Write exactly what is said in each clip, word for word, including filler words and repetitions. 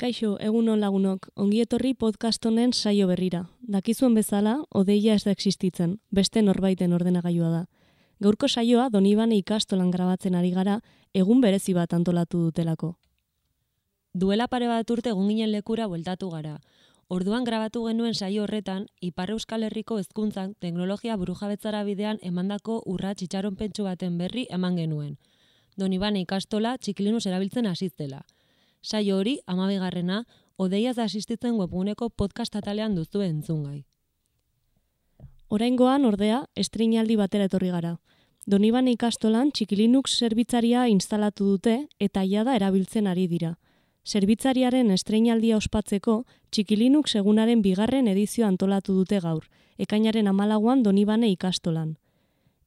Kaixo, egunon lagunok, ongi etorri podcast honen saio berrira. Dakizuen bezala, odeia ez da existitzen, beste norbaiten ordenagailua da. Gaurko saioa Donibane ikastolan grabatzen ari gara, egun berezi bat antolatu dutelako. Duela pare bat urte egun ginen lekura bueltatu gara. Orduan grabatu genuen saio horretan, Ipar Euskal Herriko hezkuntzan teknologia burujabetzara bidean emandako urrats itxaronpentsu baten berri eman genuen. Donibane ikastola txikilinus erabiltzen hasi zela. Saio hori, hamabigarrena, odeiaz da asistitzen webguneko podcast atalean duzu entzungai. Oraingoan, ordea, estreinaldi batera etorri gara. Donibane ikastolan txikilinux zerbitzaria instalatu dute eta jada erabiltzen ari dira. Zerbitzariaren estreinaldia ospatzeko, Txikilinux egunaren bigarren edizio antolatu dute gaur, ekainaren hamalauan Donibane ikastolan.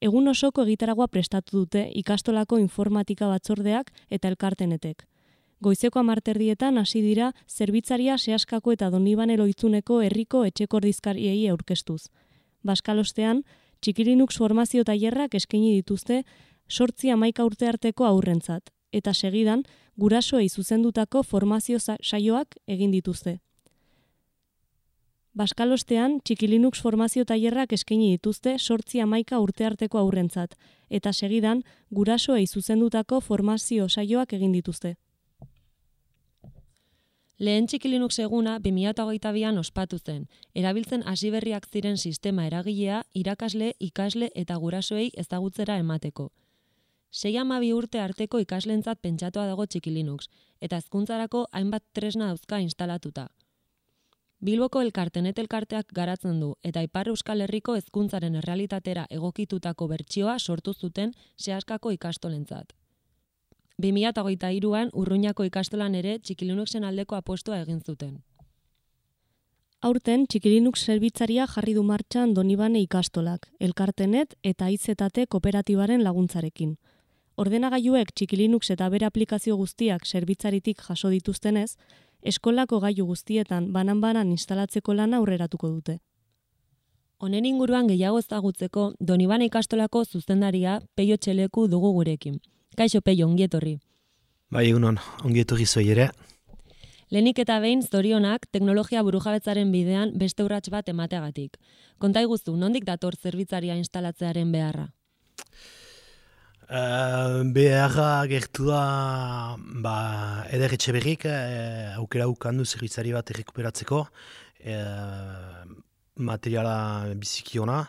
Egun osoko egitaragua prestatu dute ikastolako informatika batzordeak eta elkartenetek. Goizeko hamarterdietan hasi dira zerbitzaria Seaskako eta Donibane Loitzuneko herriko etxeko ordezkariei aurkeztuz. Baskalostean, Txikilinux formazio tailerrak eskaini dituzte zortzi hamaika urte arteko haurrentzat, eta segidan gurasoei zuzendutako formazio saioak egin dituzte. Baskalostean, Txikilinux formazio tailerrak eskaini dituzte zortzi hamaika urte arteko haurrentzat, eta segidan gurasoei zuzendutako formazio saioak egin dituzte. Lehen Txikilinux eguna bi mila hogeita bian ospatu zen, erabiltzen hasi berriak ziren sistema eragilea irakasle, ikasle eta gurasoei ezagutzera emateko. Sei hamabi urte arteko ikaslentzat pentsatua dago Txikilinux, eta hezkuntzarako hainbat tresna dauzka instalatuta. Bilboko elkartenet elkarteak garatzen du, eta Ipar Euskal Herriko hezkuntzaren errealitatera egokitutako bertsioa sortu zuten Seaskako ikastolentzat. bi mila hogeita hiruan Urruñako ikastolan ere Txikilinuxen aldeko apostua egin zuten. Aurten, Txikilinux zerbitzaria jarri du martxan Donibane ikastolak, elkartenet eta aizetate kooperatibaren laguntzarekin. Ordenagailuek Txikilinux eta bere aplikazio guztiak zerbitzaritik jaso dituztenez, eskolako gailu guztietan banan-banan instalatzeko lana aurreratuko dute. Honen inguruan gehiago ezagutzeko Donibane ikastolako zuzendaria Peio Txeleku dugu gurekin. Kaixo Peio, ongi etorri. Bai, egunon, ongi etorri zoi ere. Lehenik eta behin zorionak teknologia burujabetzaren bidean beste urrats bat emateagatik. Konta iguzu, nondik dator zerbitzaria instalatzearen beharra? Uh, beharra gertu da ba, Eder Etxeberrik uh, aukera ukandu zerbitzari bat errekuperatzeko uh, materiala biziki ona.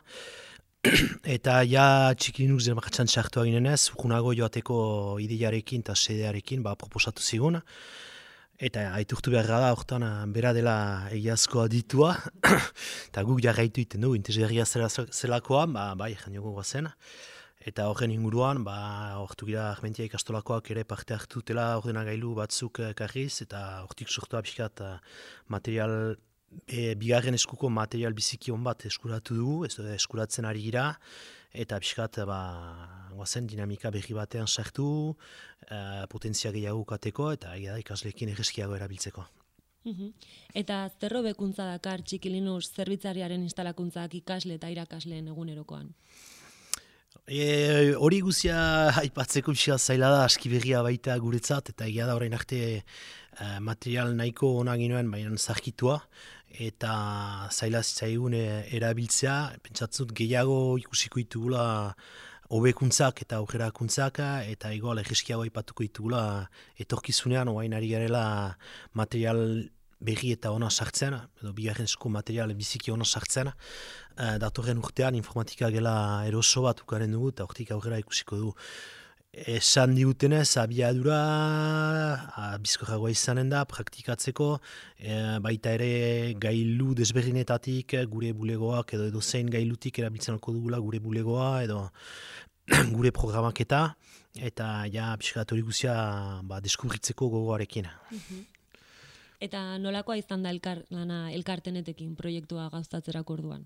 Eta ja Txikilinux martxan txartua ginenez, urgunago joateko ideiarekin eta sedearekin ba, proposatu zigun. Eta aiturtu beharra da, hortan bera dela egiazkoa ditua. Eta guk jarraitu iten du, interesgarria zelakoa, ba, bai, janiogu guazen. Eta horren inguruan, ba, hortu gira Armentia ikastolakoak ere parte hartu dela ordenagailu batzuk karriz, eta hortik sortua pixkat material, e, bigarren eskuko material biziki hon bat eskuratu dugu, ez da eskuratzen ari gira, eta pixkat, ba, guazen dinamika berri batean sartu, e, potentzia gehiago kateko, eta egia da ikasleekin erreskiago erabiltzeko. Eta zer hobekuntza dakar Txikilinux zerbitzariaren instalakuntzak ikasle eta irakasleen egunerokoan? E, hori guzia aipatzeko pixka zaila da, aski berria baita guretzat, eta egia da orain arte e, material nahiko ona ginoen, baina zarkitua, eta zaila zitzaigun e, erabiltzea, pentsatzut gehiago ikusiko ditugula hobekuntzak eta aurrerakuntzak, eta egoal erreskiago aipatuko ditugula etorkizunean, oain ari garela material berri eta ona sartzen, edo bigarren esku material biziki ona sartzen. Uh, datorren urtean informatika gela eroso bat ukaren dugu, eta hortik aurrera ikusiko du. Esan diutenez, abiadura, bizkorragoa izanen da, praktikatzeko, e, baita ere gailu desberdinetatik gure bulegoak, edo edo zein gailutik erabiltzen alko dugula gure bulegoa, edo gure programaketa, eta ja, pixkat hori guzia ba, deskubritzeko gogoarekin. Eta nolakoa izan da elkar, lana elkartenetekin proiektua gauzatzerako orduan?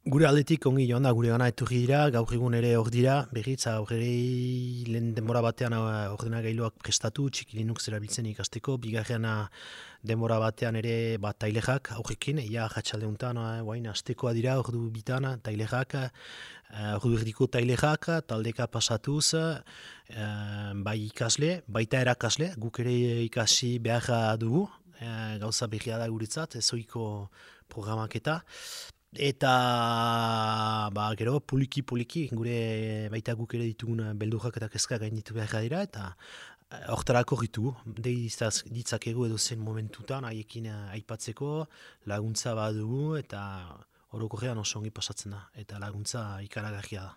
Gure aldetik ongi joan da, gure gana etorri dira, gaur egun ere hor dira, berriz, aurre lehen denbora batean ordenagailuak prestatu, txiki Linux erabiltzen ikasteko, bigarren denbora batean ere bat tailexak aurrekin, ia jatxalde honetan, guain, astekoa dira, ordu bitan, tailexak, ordu erdiko tailexak, taldeka pasatuz, bai ikasle, baita erakasle, guk ere ikasi behar dugu, gauza berria da guretzat, ezoiko programaketa. Eta ba, gero poliki-poliki gure baita guk ere ditugun beldurrak eta kezka gainditu behar dira eta hortarako ritu, ditzakegu edo zen momentutan haiekin aipatzeko laguntza badugu eta orokorrean oso ongi pasatzen da eta laguntza ikaragarria da.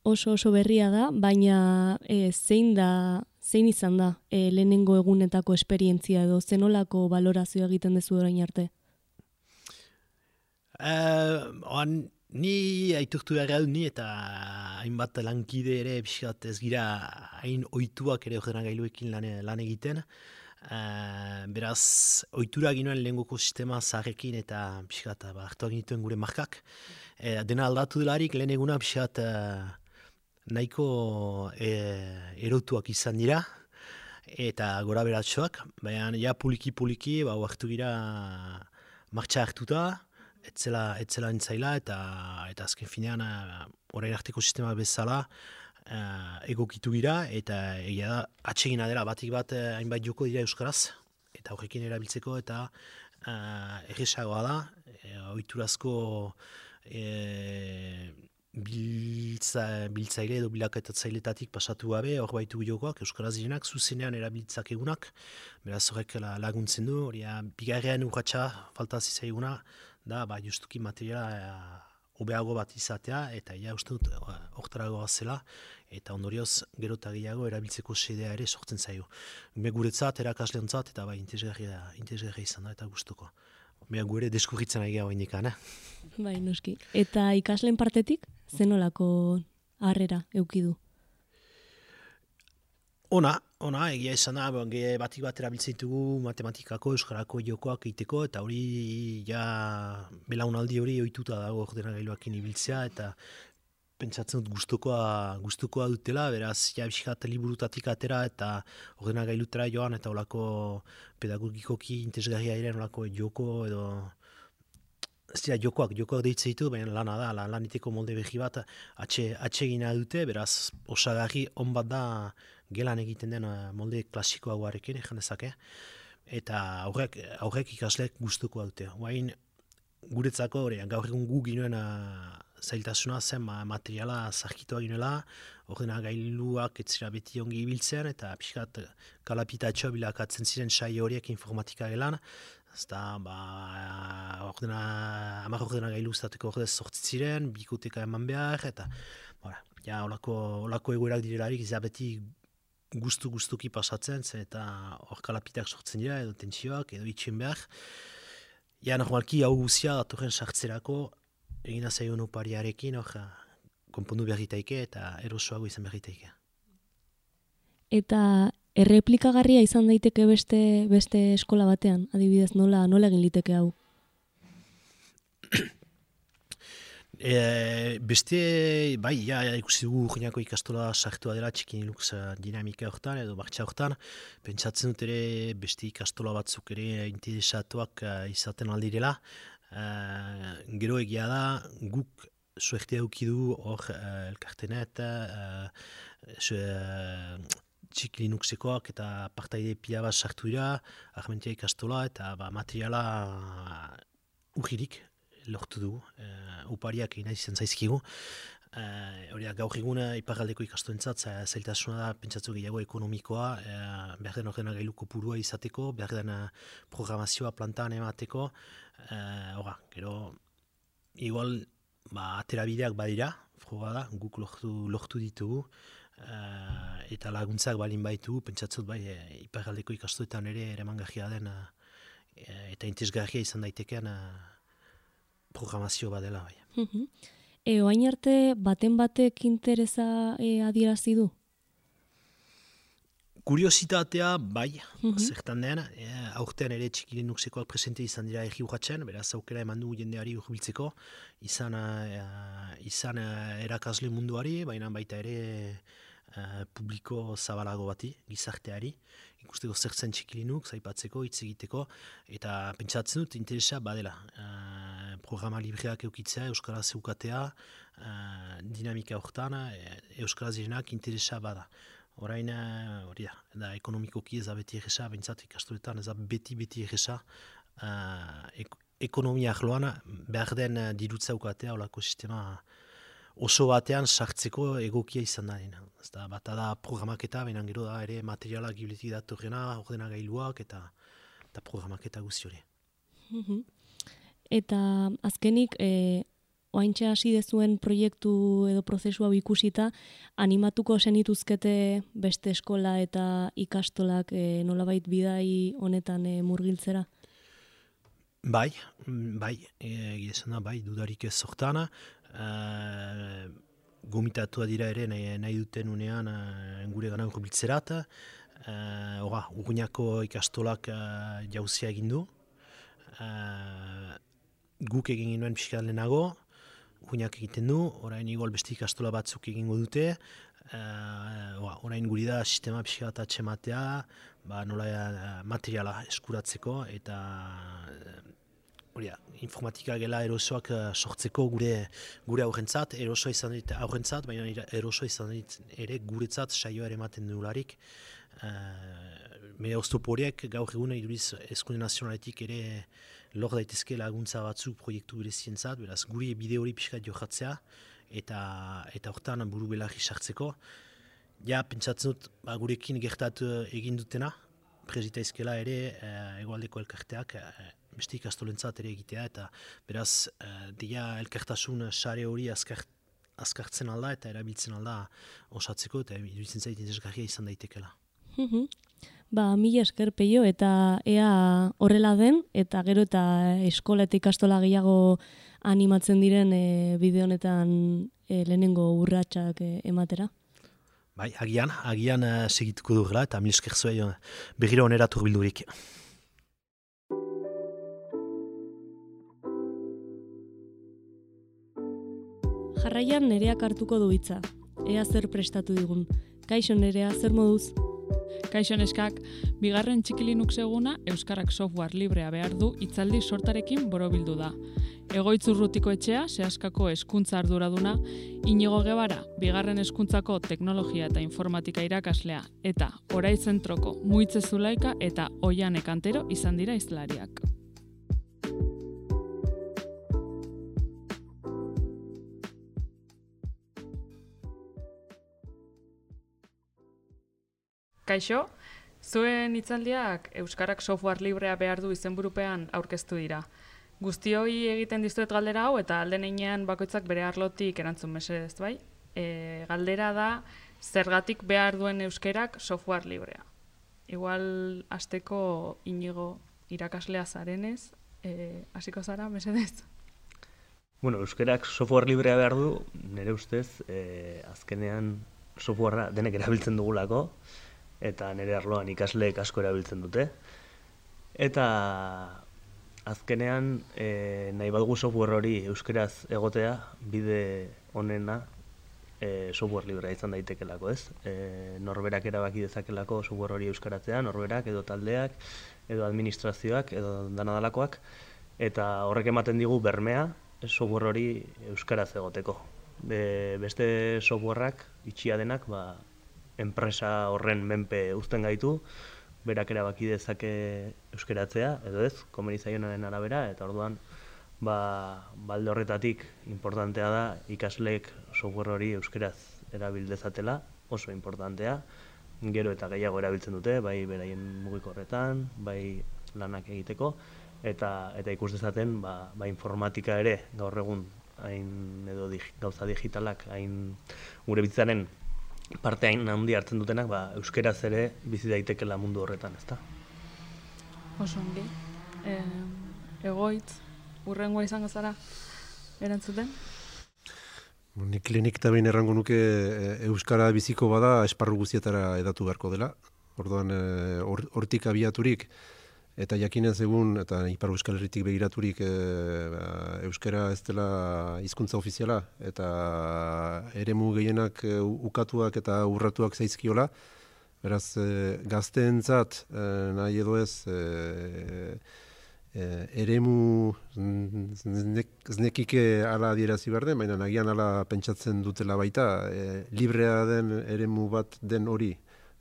Oso oso berria da, baina e, zein da, zein izan da e, lehenengo egunetako esperientzia edo zenolako balorazioa egiten dezu orain arte? Uh, oan, ni aitortu behar dut ni eta hainbat lankide ere pixkat ez gira hain ohituak ere ordenagailuekin lan, lan egiten. Uh, beraz, ohitura ginoen lehengoko sistema zaharrekin eta pixkat ba, hartuak nituen gure markak. Uh, dena aldatu delarik lehen eguna pixkat uh, nahiko uh, erotuak izan dira eta gora beratxoak. Baina ja poliki-poliki ba, hartu gira martxa hartuta. Etzela, etzela entzaila eta eta azken finean orain arteko sistema bezala uh, egokitu gira eta egia da atsegina dela batik bat hainbat joko dira euskaraz eta horrekin erabiltzeko eta uh, erresagoa da e, ohiturazko e, biltza, biltzaile edo bilaketatzaileetatik pasatu gabe hor baitu jokoak euskaraz direnak zuzenean erabiltzak egunak beraz horrek laguntzen du hori bigarren urratsa falta zizaiguna da, ba, justuki materiala hobeago bat izatea, eta ja uste dut hortaragoa zela, eta ondorioz gero eta gehiago erabiltzeko sedea ere sortzen zaio. Me guretzat, erakasleontzat, eta ba, interesgarria, interesgarria izan da, eta gustuko. Mea gure deskurritzen ari gau indikan, eh? Bai, noski. Eta ikasleen partetik, zenolako harrera eukidu? Ona, ona, egia izan da, batik bat erabiltzen ditugu matematikako, euskarako jokoak egiteko, eta hori ja belaunaldi hori ohituta dago ordenagailuakin ibiltzea, eta pentsatzen dut gustukoa, gustukoa dutela, beraz, ja biskat liburutatik atera, eta ordenagailutera joan, eta olako pedagogikoki interesgarria ere olako joko, edo ez dira jokoak, jokoak deitzen ditu, baina lana da, laniteko molde behi bat atxe, atsegina dute, beraz, osagarri on bat da gelan egiten den molde klasikoagoarekin, egin dezake, eta aurrek, aurrek ikasleek gustukoa dute. Oain, guretzako, hori, gaur egun gu ginoen zailtasuna zen materiala zarkitua ginoela, ordenagailuak ez zira beti ongi ibiltzen, eta pixkat kalapitatxo bilakatzen ziren saio horiek informatika gelan, ezta, ba, ordena, hamar ordenagailu uztateko ordez sortzi ziren, bikoteka eman behar, eta, bora, ja, olako, olako egoerak direlarik, ez beti gustu-gustuki pasatzen, eta hor kalapitak sortzen dira, edo tentsioak, edo itxen behar. Ja, normalki, hau guzia, datorren sartzerako, egina zaion opariarekin, hor, konpondu berritaike, eta erosoago izan berritaike. Eta erreplikagarria izan daiteke beste beste eskola batean, adibidez, nola nola egin liteke hau? E, beste, bai, ja, ikusi dugu urginako ikastola sartua dela txiki Linux dinamika hortan edo martxa hortan. Pentsatzen dut ere beste ikastola batzuk ere interesatuak uh, izaten aldirela. Uh, gero egia da, guk suertea eukidu hor uh, elkartenet, uh, uh, txiki Linuxekoak eta partaide pila bat sartu dira, Armentia ikastola eta ba, materiala uh, urgirik lortu du, uh, upariak egin izan zaizkigu. Uh, gaur egun iparraldeko ikastoentzat zailtasuna da pentsatzu gehiago ekonomikoa, uh, behar den ordenagailu kopurua izateko, behar den uh, programazioa plantan emateko. Uh, ora, gero, igual, ba, aterabideak badira, froga da, guk lortu, lortu ditugu, uh, eta laguntzak balin baitu, pentsatzu bai, e, iparraldeko ikastoetan ere eremangarria den, uh, eta interesgarria izan daiteken uh, programazio badela bai. Uh-huh. E, oain arte baten batek interesa e, adierazi du? Kuriositatea, bai, Mhm. zertan den, e, aurten ere Txiki Linuxekoak presente izan dira erri urratzen, beraz aukera eman du jendeari urbiltzeko, izan, e, izan e, erakasle munduari, baina baita ere e, publiko zabalago bati, gizarteari, ikusteko zertzen Txiki Linux, aipatzeko, hitz egiteko, eta pentsatzen dut interesa badela. E, programa libreak eukitzea, euskaraz eukatea, e, dinamika hortan, e, euskaraz direnak interesa bada. Orain, hori da, da ekonomikoki ez da beti egesa, behintzat ikastoletan ez da beti-beti egesa, uh, ek ekonomia arloan behar den uh, dirutza ukatea, olako sistema oso batean sartzeko egokia izan da. Ez da, bat da programaketa, baina gero da ere materialak gibiletik datorrena, ordenagailuak eta, eta programaketa guzti hori. Mhm. Eta azkenik, e, oaintxe hasi dezuen proiektu edo prozesu hau ikusita, animatuko zenituzkete beste eskola eta ikastolak e, nolabait bidai honetan e, murgiltzera? Bai, bai, egia esan da, bai, dudarik ez sortan. Uh, gomitatua dira ere nahi, nahi duten unean uh, gure gana urbiltzerat. Uh, Hora, Urruñako ikastolak uh, jauzia egin du. Uh, guk egin ginoen pixka lehenago, Urruñak egiten du, orain igual beste ikastola batzuk egingo dute. Uh, orain guri da sistema pixka bat atxematea, ba, nola uh, materiala eskuratzeko eta hori da, informatika gela erosoak uh, sortzeko gure gure aurrentzat, erosoa izan dit aurrentzat, baina erosoa izan dit ere guretzat saioa ere ematen dugularik. Uh, Mera oztopo horiek gaur egun iduriz Hezkunde Nazionaletik ere lor daitezke laguntza batzuk proiektu berezientzat, beraz guri bide hori pixkat jokatzea eta eta hortan buru belarri sartzeko. Ja, pentsatzen dut, ba, gurekin gertatu egin dutena, presita izkela ere uh, egoaldeko elkarteak uh, beste ikastolentzat ere egitea, eta beraz, uh, dia elkartasun sare hori azkart, azkartzen alda eta erabiltzen alda osatzeko, eta iruditzen zait interesgarria izan daitekela. Mhm. Ba, mila esker Peio, eta ea horrela den, eta gero eta eskola eta ikastola gehiago animatzen diren e, bide honetan e, lehenengo urratsak e, ematera. Bai, agian, agian uh, segituko dugula, eta mil esker zuei uh, berriro onera turbildurik. Jarraian Nereak hartuko du hitza. Ea zer prestatu digun. Kaixo Nerea, zer moduz? Kaixo neskak, bigarren Txiki Linux eguna euskarak software librea behar du hitzaldi sortarekin borobildu da. Egoitz Urrutiko etxea, Seaskako hezkuntza arduraduna, Inigo Gebara, bigarren hezkuntzako teknologia eta informatika irakaslea, eta Orai Zentroko Muitze Zulaika eta Oiane Kantero izan dira hizlariak. Kaixo, zuen hitzaldiak euskarak software librea behar du izenburupean aurkeztu dira. Guztioi egiten dizuet galdera hau eta alden heinean bakoitzak bere arlotik erantzun mesedez, bai? E, galdera da, zergatik behar duen euskerak software librea. Igual hasteko Inigo irakaslea zarenez, e, hasiko zara mesedez? Bueno, euskerak software librea behar du, nire ustez, e, azkenean softwarea denek erabiltzen dugulako, eta nire arloan ikasleek asko erabiltzen dute. Eta azkenean e, nahi badugu software hori euskeraz egotea, bide onena e, software librea izan daitekelako, ez? E, norberak erabaki dezakelako software hori euskaratzea, norberak edo taldeak, edo administrazioak, edo danadalakoak, eta horrek ematen digu bermea software hori euskaraz egoteko. Be, beste softwareak, itxia denak, ba, enpresa horren menpe uzten gaitu, berak erabaki dezake euskaratzea, edo ez, komeni zaionaren arabera, eta orduan, ba, balde horretatik importantea da ikasleek software hori euskaraz erabil dezatela, oso importantea, gero eta gehiago erabiltzen dute, bai beraien mugikorretan, bai lanak egiteko, eta eta ikus dezaten, ba, ba informatika ere gaur egun hain edo dig, gauza digitalak hain gure bizitzaren parte hain handi hartzen dutenak, ba, euskeraz ere bizi daitekela mundu horretan, ezta? Oso ongi. E, egoitz, urrengoa izango zara erantzuten? Nik lehenik eta behin errango nuke euskara biziko bada esparru guztietara edatu beharko dela. Orduan, hortik or, abiaturik, eta jakinez egun, eta Ipar Euskal Herritik begiraturik e, ba, euskara ez dela hizkuntza ofiziala, eta eremu gehienak e, ukatuak eta urratuak zaizkiola, beraz, e, gazteentzat e, nahi edo ez, e, e, eremu znek, znekike ala adierazi behar den, baina nagian ala pentsatzen dutela baita, e, librea den eremu bat den hori,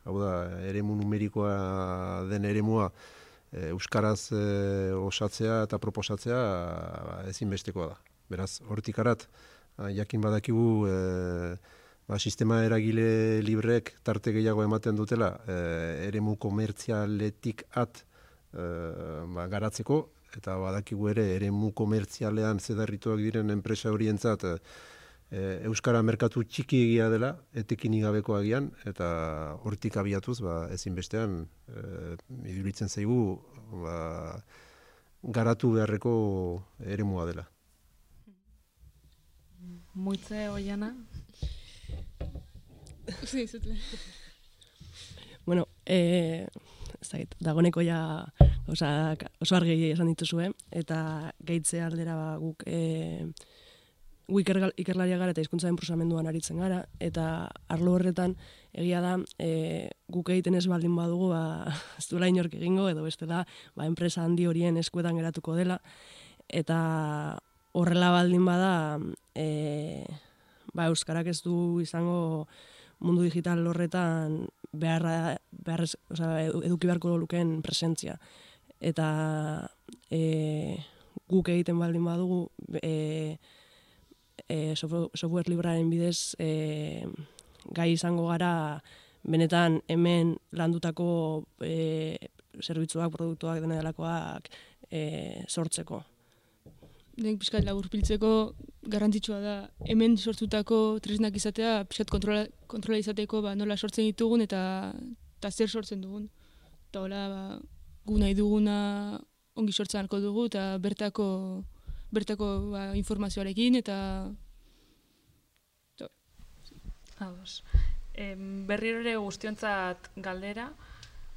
hau da, eremu numerikoa den eremua, euskaraz e, osatzea eta proposatzea ezinbestekoa da. Beraz, hortik arat, jakin badakigu e, ba, sistema eragile libreek tarte gehiago ematen dutela e, eremu komertzialetik at e, ba, garatzeko, eta badakigu ere eremu komertzialean zedarrituak diren enpresa horientzat e, euskara merkatu txiki egia dela, etekin igabeko agian, eta hortik abiatuz, ba, ezinbestean, e, iduritzen zaigu, ba, garatu beharreko eremua dela. Muitze, Oiana? Sí, zutle. Bueno, eh, ez dakit, dagoneko ja osa, oso argi esan dituzue, eta gehitze aldera ba, guk eh, gu iker, ikerlaria gara eta hizkuntzaren prozesamenduan aritzen gara, eta arlo horretan egia da e, guk egiten ez baldin badugu ba, ez duela inork egingo, edo bestela ba, enpresa handi horien eskuetan geratuko dela, eta horrela baldin bada e, ba, euskarak ez du izango mundu digital horretan beharra, beharrez, oza, eduki beharko lukeen presentzia. Eta e, guk egiten baldin badugu e, E, software libraren bidez e, gai izango gara benetan hemen landutako e, zerbitzuak, produktuak, dena delakoak e, sortzeko. Den pixkat laburbiltzeko garrantzitsua da hemen sortutako tresnak izatea, pixkat kontrola, kontrola izateko ba, nola sortzen ditugun eta, eta zer sortzen dugun. Eta hola, ba, gu nahi duguna ongi sortzen alko dugu eta bertako bertako ba, informazioarekin eta Ados. E, berriro ere guztiontzat galdera,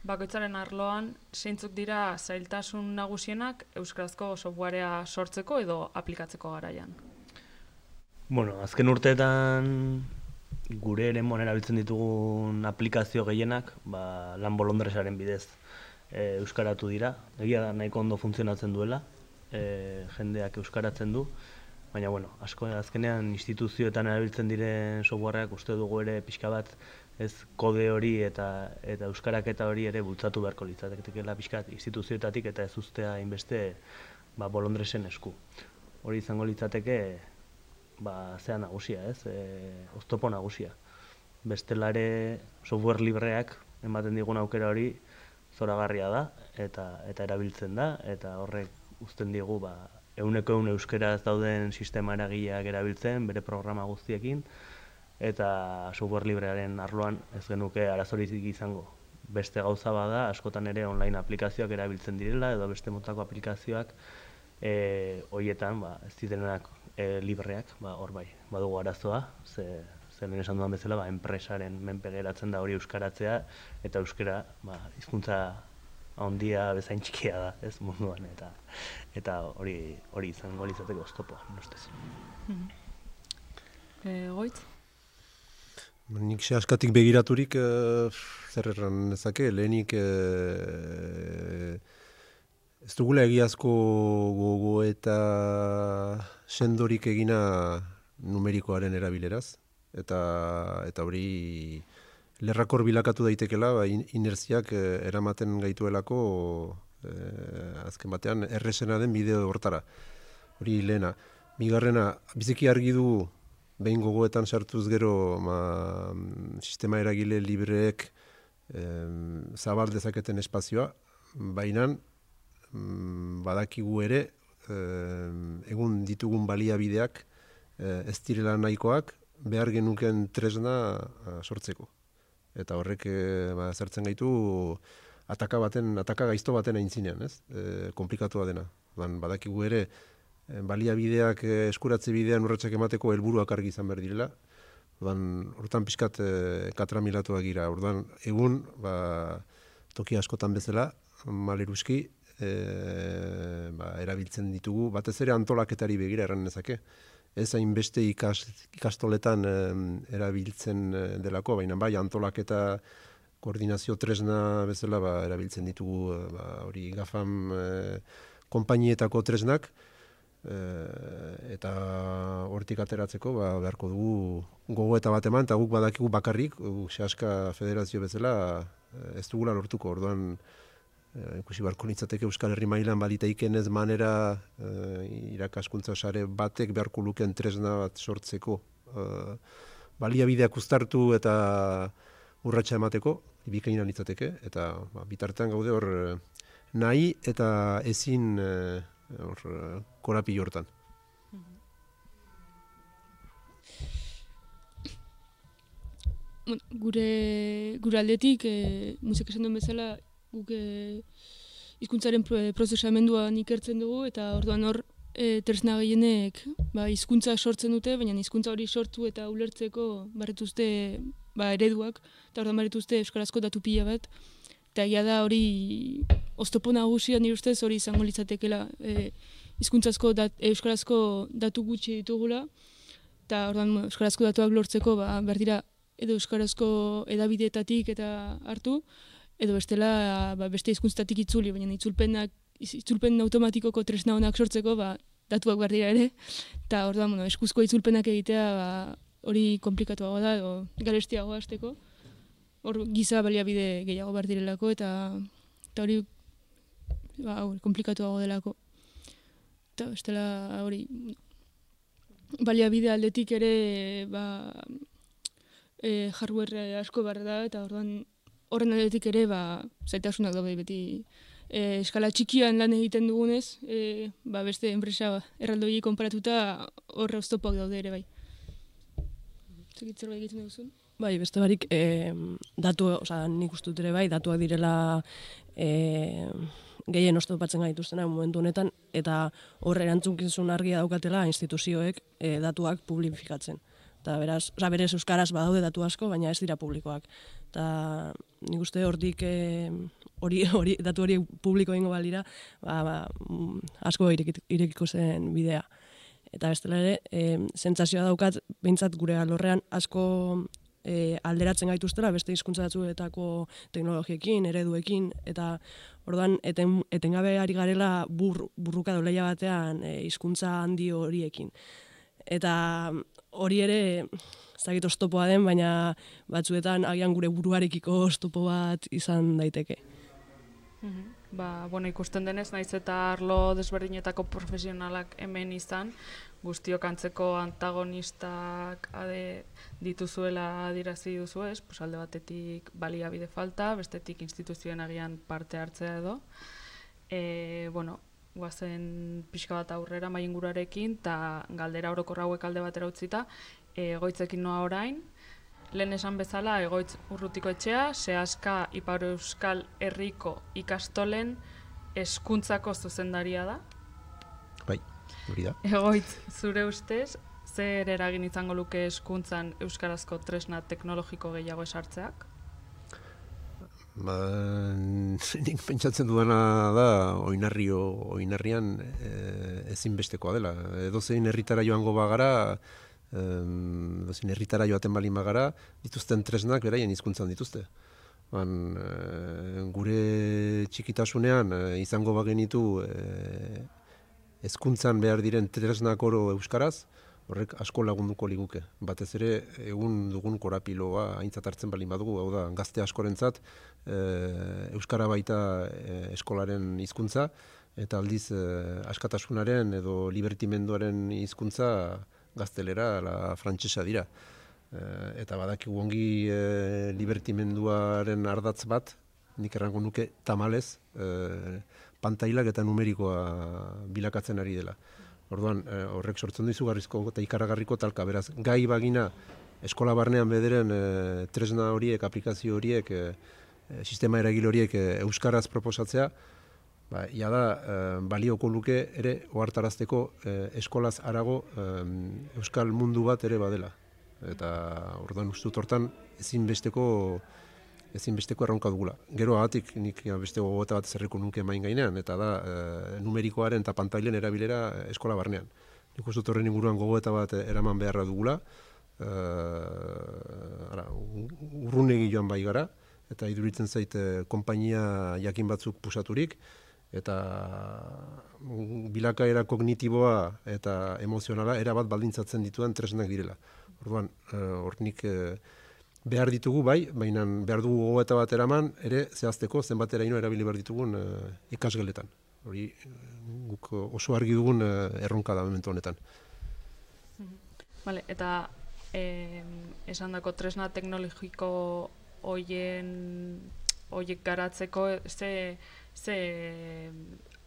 bakoitzaren arloan zeintzuk dira zailtasun nagusienak euskarazko softwarea sortzeko edo aplikatzeko garaian? Bueno, azken urteetan gure eremuan erabiltzen ditugun aplikazio gehienak ba, lan bolondresaren bidez e, euskaratu dira. Egia da nahiko ondo funtzionatzen duela, E, jendeak euskaratzen du, baina bueno, asko azkenean instituzioetan erabiltzen diren softwareak uste dugu ere pixka bat ez kode hori eta eta euskaraketa hori ere bultzatu beharko litzatekeela pixka bat instituzioetatik eta ez uztea hainbeste ba, bolondresen esku. Hori izango litzateke ba, zea nagusia, ez? E, oztopo nagusia. Bestelare software libreak ematen digun aukera hori zoragarria da eta eta erabiltzen da eta horrek uzten digu ba, euneko eun euskeraz dauden sistema eragileak erabiltzen, bere programa guztiekin, eta software librearen arloan ez genuke arazorik izango. Beste gauza bada, askotan ere online aplikazioak erabiltzen direla, edo beste motako aplikazioak e, horietan ba, ez direnak e, libreak, ba, hor bai, badugu arazoa, ze, ze lehen esan dudan bezala, ba, enpresaren menpe geratzen da hori euskaratzea, eta euskara ba, hizkuntza handia bezain txikia da, ez munduan, eta eta hori hori izango litzateke oztopoa, ustez. Eh, Goitz? Nik xe askatik begiraturik e, zer erran nezake, lehenik e, ez dugula egiazko gogo eta sendorik egina numerikoaren erabileraz, eta eta hori lerrakor bilakatu daitekela, ba, inerziak eh, eramaten gaituelako eh, azken batean erresena den bideo hortara. Hori lehena. Bigarrena, biziki argi du behin gogoetan sartuz gero ma, sistema eragile libreek eh, zabal dezaketen espazioa, baina mm, badakigu ere eh, egun ditugun baliabideak eh, ez direla nahikoak behar genuken tresna a, sortzeko. Eta horrek e, ba, zertzen gaitu ataka baten, ataka gaizto baten aintzinean, ez? E, komplikatua dena. Ban, badakigu ere e, baliabideak e, eskuratze bidean urratsak emateko helburuak argi izan behar direla. Ban, hortan pixkat e, katramilatuak gira. Orduan, egun, ba, toki askotan bezala, maleruski, e, ba, erabiltzen ditugu, batez ere antolaketari begira erran nezake. Ez hainbeste ikas, ikastoletan e, erabiltzen delako, baina bai antolaketa koordinazio tresna bezala ba, erabiltzen ditugu ba, hori gafam e, konpainietako tresnak, e, eta hortik ateratzeko ba, beharko dugu gogo eta bat eman, eta guk badakigu bakarrik, guk Seaska Federazio bezala ez dugula lortuko, orduan e, ikusi barko litzateke Euskal Herri mailan balitaiken ez manera e, irakaskuntza sare batek beharko luken tresna bat sortzeko e, baliabideak uztartu eta urratsa emateko, bikaina litzateke, eta ba, bitartean gaude hor nahi eta ezin hor korapilo hortan. Gure, gure aldetik, e, musika esan duen bezala, guk e, hizkuntzaren prozesamenduan ikertzen dugu, eta orduan hor e, tresna gehienek ba, hizkuntza sortzen dute, baina hizkuntza hori sortu eta ulertzeko barretuzte ba, ereduak, eta orduan barretuzte euskarazko datu pila bat, eta egia da hori oztopo nagusia nire ustez hori izango litzatekela e, hizkuntzazko dat, euskarazko datu gutxi ditugula, eta orduan euskarazko datuak lortzeko ba, behar dira edo euskarazko edabideetatik eta hartu, edo bestela ba, beste hizkuntzetatik itzuli, baina itzulpenak, itzulpen automatikoko tresna honak sortzeko ba, datuak behar dira ere, eta orduan bueno, eskuzko itzulpenak egitea ba, hori komplikatuago da, edo garestiago hasteko, hor giza baliabide gehiago behar direlako, eta, eta hori ba, komplikatuago delako. Eta bestela hori baliabide aldetik ere ba, e, hardware asko behar da, eta orduan horren aldetik ere ba, zaitasunak daude beti e, eskala txikian lan egiten dugunez, e, ba, beste enpresa erraldoi konparatuta horre oztopoak daude ere bai. Zegitzer bai egiten duzun? Bai, beste barik, e, datu, oza, nik uste dut ere bai, datuak direla e, gehien oztopatzen gaituztena momentu honetan, eta horre erantzukizun argia daukatela instituzioek e, datuak publifikatzen. Eta beraz, oza, berez euskaraz badaude datu asko, baina ez dira publikoak. Eta nik uste hortik e, hori, hori, datu hori publiko egingo balira, ba, ba, asko irekiko zen bidea. Eta bestela ere, e, sentsazioa daukat, behintzat gure alorrean asko e, alderatzen gaituztela, beste hizkuntza batzuetako teknologiekin, ereduekin, eta orduan eten, etengabe ari garela bur, burruka doleia batean e, hizkuntza handi horiekin. Eta hori ere, ezagik oztopoa den, baina batzuetan agian gure buruarekiko oztopo bat izan daiteke. Mm-hmm. Ba, bueno, ikusten denez, naiz eta arlo desberdinetako profesionalak hemen izan, guztiok antzeko antagonistak ade dituzuela adirazi duzu ez, pues alde batetik baliabide falta, bestetik instituzioen agian parte hartzea edo. E, bueno, guazen pixka bat aurrera mai ingurarekin, eta galdera orokor hauek alde batera utzita, egoitzekin noa orain. Lehen esan bezala, Egoitz Urrutiko Etxea, Seaska Ipar Euskal Herriko ikastolen hezkuntzako zuzendaria da. Bai, hori da. Egoitz, zure ustez, zer eragin izango luke hezkuntzan euskarazko tresna teknologiko gehiago esartzeak? Ba, nik pentsatzen dudana da, oinarrio, oinarrian e, ezinbestekoa dela. Edozein herritara joango bagara, Dozin, herritara joaten balin bagara, dituzten tresnak beraien hizkuntzan dituzte. Ban, e, gure txikitasunean e, izango bagenitu e, hezkuntzan behar diren tresnak oro euskaraz, horrek asko lagunduko liguke. Batez ere, egun dugun korapiloa aintzat hartzen balin badugu, hau da, gazte askorentzat e, euskara baita e, eskolaren hizkuntza, eta aldiz e, askatasunaren edo libertimenduaren hizkuntza gaztelera, la frantsesa dira. E, eta badakigu ongi e, libertimenduaren ardatz bat, nik errango nuke tamalez, e, pantailak eta numerikoa bilakatzen ari dela. Orduan, e, horrek sortzen du izugarrizko eta ikaragarriko talka. Beraz, gai bagina eskola barnean bederen e, tresna horiek, aplikazio horiek, e, sistema eragile horiek e, euskaraz proposatzea, ba, ia da, e, balioko luke ere ohartarazteko e, eskolaz harago e, euskal mundu bat ere badela. Eta orduan uste dut hortan ezinbesteko ezinbesteko erronka dugula. Gero agatik nik beste gogoeta bat zerriko nuke main gainean, eta da e, numerikoaren eta pantailen erabilera eskola barnean. Nik uste dut horren inguruan gogoeta bat eraman beharra dugula, e, ara, urrunegi joan bai gara, eta iduritzen zait e, konpainia jakin batzuk pusaturik, eta bilakaera kognitiboa eta emozionala erabat baldintzatzen dituen tresnak direla. Orduan, hor e, nik... E, behar ditugu bai, baina behar dugu gogoeta bat eraman, ere zehazteko zenbateraino erabili behar ditugun e, ikasgeletan. Hori guk oso argi dugun e, erronka da momentu honetan. Vale, eta eh, esandako tresna teknologiko hoien hoiek garatzeko ze, ze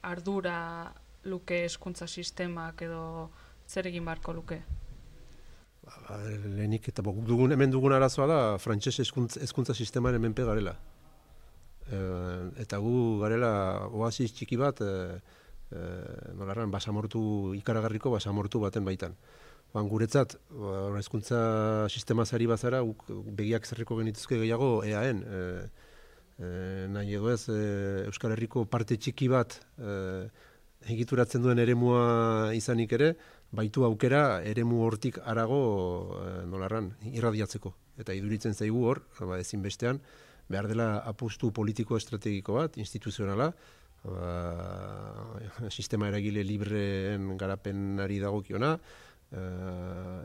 ardura luke hezkuntza sistemak edo zer egin beharko luke? Ba, lehenik eta bok, dugun, hemen dugun arazoa da frantses hezkuntza sistemaren menpe garela. E, eta gu garela oasis txiki bat e, e, nolarran basamortu, ikaragarriko basamortu baten baitan. Ban, guretzat, hezkuntza sistema zari bazara, guk begiak zerriko genituzke gehiago E A N. E, e, nahi edo ez, e, Euskal Herriko parte txiki bat e, egituratzen duen eremua izanik ere, baitu aukera eremu hortik harago e, nolarran irradiatzeko. Eta iduritzen zaigu hor, ba, ezinbestean, behar dela apustu politiko estrategiko bat, instituzionala, ba, sistema eragile libreen garapenari dagokiona, e,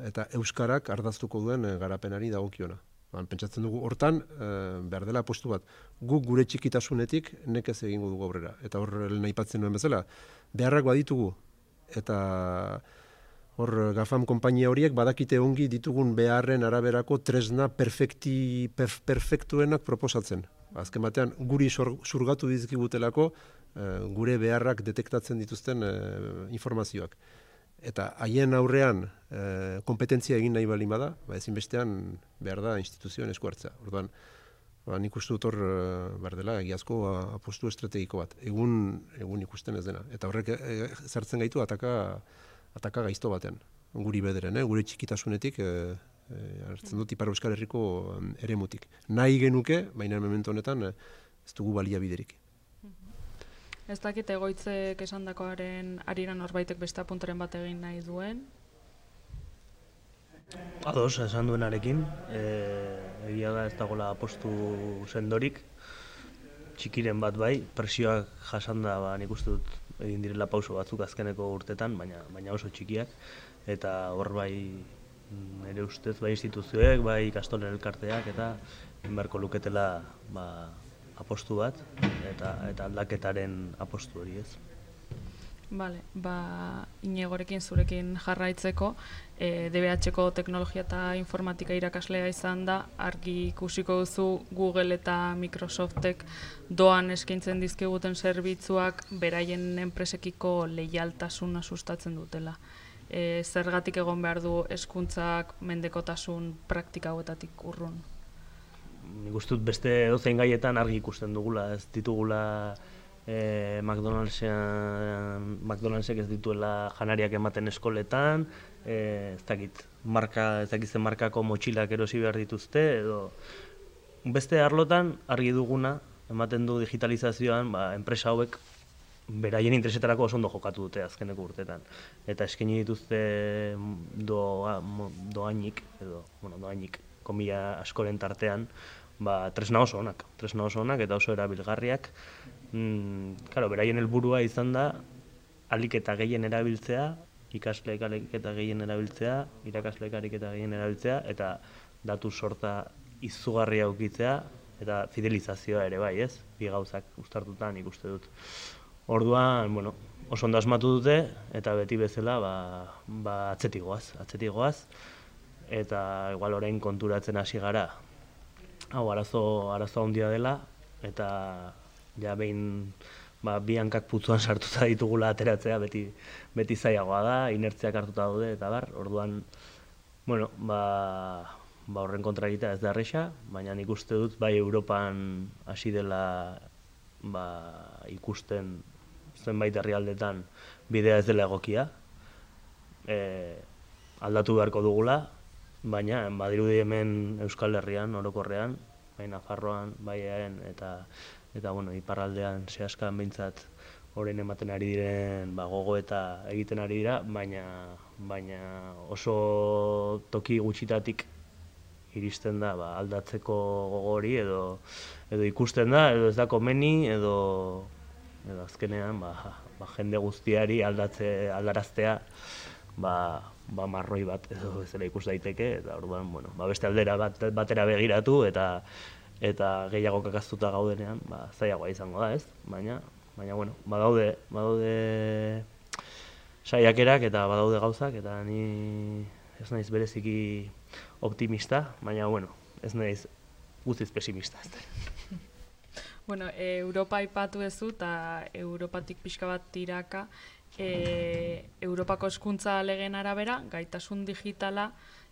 eta euskarak ardaztuko duen garapenari dagokiona. Ba, pentsatzen dugu hortan, e, behar dela apustu bat. Guk gure txikitasunetik nekez egingo dugu aurrera. Eta hor nahi patzen nuen bezala, beharrak baditugu, eta hor GAFAM konpainia horiek badakite ongi ditugun beharren araberako tresna perfekti, perf, perfektuenak proposatzen. Azken batean, guri zurgatu dizkigutelako e, gure beharrak detektatzen dituzten e, informazioak. Eta haien aurrean e, kompetentzia egin nahi balin bada, ba ezinbestean behar da instituzioen esku hartzea. Orduan, ba, nik uste dut hor behar dela egiazko apostu estrategiko bat. Egun, egun ikusten ez dena. Eta horrek e, zartzen gaitu ataka ataka gaizto batean, guri bederen, eh? Gure txikitasunetik, e, e, hartzen dut Ipar Euskal Herriko eremutik. Nahi genuke, baina momentu honetan ez dugu baliabiderik. Ez dakit egoitzek esandakoaren arira norbaitek beste apuntaren bat egin nahi duen? Ados, esan duenarekin, e, egia da ez dagoela apostu sendorik, txikiren bat bai, presioak jasanda ba, nik uste dut egin direla pauso batzuk azkeneko urtetan, baina, baina oso txikiak, eta hor bai nire ustez, bai instituzioek, bai ikastolen elkarteak, eta inbarko luketela ba, apostu bat, eta, eta aldaketaren apostu hori ez. Bale, ba, Iñigorekin zurekin jarraitzeko, e, D B H-ko teknologia eta informatika irakaslea izan da, argi ikusiko duzu Google eta Microsoftek doan eskaintzen dizkiguten zerbitzuak beraien enpresekiko leialtasuna sustatzen dutela. E, zergatik egon behar du hezkuntzak mendekotasun praktika hauetatik urrun? Nik uste dut beste edozein gaietan argi ikusten dugula, ez ditugula E, McDonaldsek ez dituela janariak ematen eskoletan, e, ez dakit, marka, ez dakit zen markako motxilak erosi behar dituzte, edo beste arlotan argi duguna, ematen du digitalizazioan, ba, enpresa hauek beraien interesetarako oso ondo jokatu dute azkeneko urtetan. Eta eskaini dituzte doa, doainik, edo, bueno, doainik, komila askoren tartean, ba, tresna oso onak, tresna oso onak eta oso erabilgarriak. Mm, claro, beraien helburua izan da ahalik eta gehien erabiltzea, ikasleek ahalik eta gehien erabiltzea, irakasleek ahalik eta gehien erabiltzea, eta datu sorta izugarria ukitzea, eta fidelizazioa ere bai, ez? Bi gauzak uztartutan ikuste dut. Orduan, bueno, oso ondo asmatu dute, eta beti bezala, ba, ba atzetik goaz, atzetik goaz, eta igual orain konturatzen hasi gara, hau arazo, arazo handia dela, eta ja behin ba, bi hankak putzuan sartuta ditugula ateratzea beti, beti zailagoa da, inertziak hartuta daude eta bar, orduan, bueno, ba, ba horren kontra egitea ez da erresa, baina nik uste dut bai Europan hasi dela ba, ikusten zenbait herrialdetan bidea ez dela egokia, e, aldatu beharko dugula, baina badirudi hemen Euskal Herrian, orokorrean, bai Nafarroan, bai eaen, eta, eta bueno, iparraldean zehazkan behintzat orain ematen ari diren ba, gogo eta egiten ari dira, baina, baina oso toki gutxitatik iristen da ba, aldatzeko gogo hori edo, edo ikusten da, edo ez da komeni, edo, edo azkenean ba, ba, jende guztiari aldatze, aldaraztea ba, ba marroi bat edo bezala ikus daiteke, eta orduan, bueno, ba, beste aldera bat, batera begiratu eta eta gehiago kakaztuta gaudenean, ba, zailagoa izango da, ez? Baina, baina bueno, badaude, badaude saiakerak eta badaude gauzak, eta ni ez naiz bereziki optimista, baina bueno, ez naiz guztiz pesimista. Bueno, e, Europa aipatu duzu eta Europatik pixka bat tiraka, e, Europako hezkuntza legeen arabera, gaitasun digitala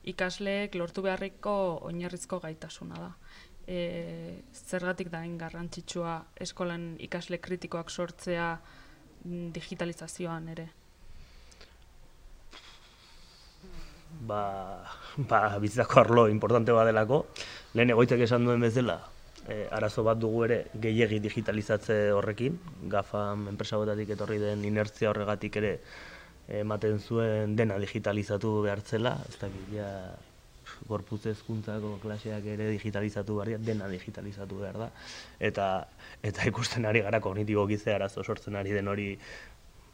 ikasleek lortu beharriko oinarrizko gaitasuna da. E, zergatik da hain garrantzitsua eskolan ikasle kritikoak sortzea digitalizazioan ere? Ba, ba bizitzako arlo importante bat delako. Lehen egoitzek esan duen bezala, e, arazo bat dugu ere gehiegi digitalizatze horrekin. GAFAM enpresabotatik etorri den inertzia horregatik ere ematen zuen dena digitalizatu behartzela. Ez dakit, ja, gorputz hezkuntzako klaseak ere digitalizatu behar, dena digitalizatu behar da. Eta, eta ikusten ari gara kognitiboki ze arazo sortzen ari den hori,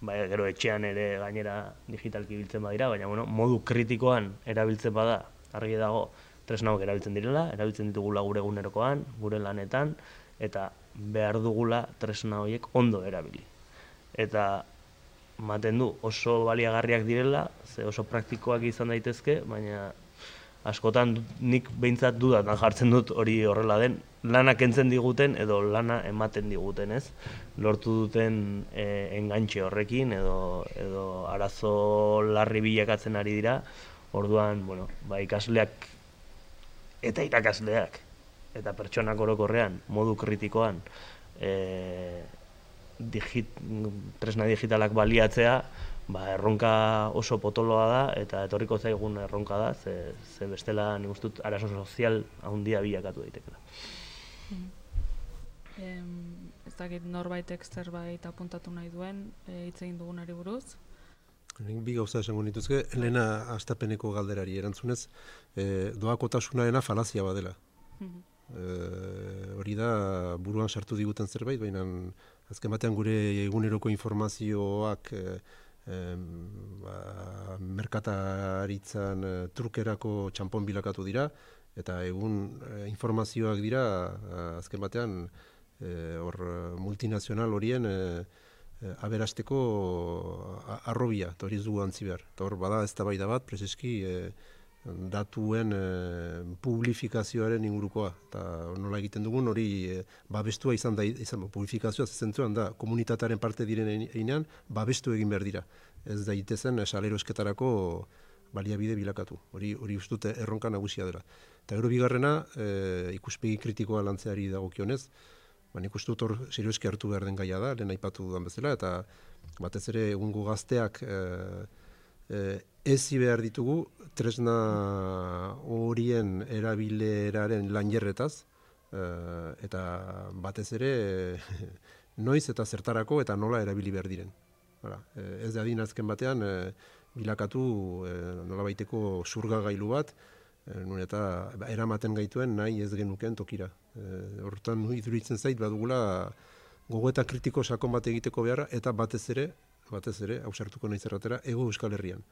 bai, gero etxean ere gainera digitalki biltzen badira, baina bueno, modu kritikoan erabiltzen bada, argi dago, tresnauk erabiltzen direla, erabiltzen ditugula gure egunerokoan, gure lanetan, eta behar dugula tresna horiek ondo erabili. Eta ematen du oso baliagarriak direla, ze oso praktikoak izan daitezke, baina askotan nik behintzat dudatan jartzen dut hori horrela den, lana kentzen diguten edo lana ematen diguten, ez? Lortu duten e, engantxe horrekin edo, edo arazo larri bilakatzen ari dira, orduan, bueno, ba, ikasleak eta irakasleak eta pertsonak orokorrean, modu kritikoan, e, digit, tresna digitalak baliatzea, ba, erronka oso potoloa da, eta etorriko zaigun erronka da, ze, ze bestela nik uste dut arazo sozial handia bilakatu daitekela. Mm. Em, ez dakit norbaitek zerbait apuntatu nahi duen, hitz egin dugunari buruz? Bi gauza esango nituzke, lehena hastapeneko galderari erantzunez, e, doakotasunarena falazia badela. Mm-hmm. E, hori da buruan sartu diguten zerbait, baina azken batean gure eguneroko informazioak e, e, ba, merkataritzan e, trukerako txanpon bilakatu dira, eta egun e, informazioak dira azken batean e, or, multinazional horien e, e, aberasteko arrobia, eta hori ez dugu antzi behar. Eta hor bada eztabaida bat, prezeski e, datuen e, publifikazioaren ingurukoa, eta nola egiten dugun hori e, babestua izan da, izan, publifikazioa zentzuan da, komunitatearen parte diren einean, babestu egin behar dira. Ez daitezen saleroesketarako baliabide bilakatu, hori hori ustute erronka nagusia dela. Eta gero bigarrena, e, ikuspegi kritikoa lantzeari dagokionez, ba, nik uste dut hor serioeski hartu behar den gaia da, lehen aipatu dudan bezala, eta batez ere egungo gazteak e, e, ezi behar ditugu tresna horien erabileraren lanjerretaz, e, eta batez ere e, noiz eta zertarako eta nola erabili behar diren. Hala, e, ez da din azken batean e, bilakatu e, nola baiteko zurgagailu bat, e, nun eta eramaten gaituen nahi ez genuken tokira. E, hortan iduritzen zait badugula gogoeta kritiko sakon bat egiteko beharra, eta batez ere, batez ere, hausartuko nahi zerratera, ego Euskal Herrian.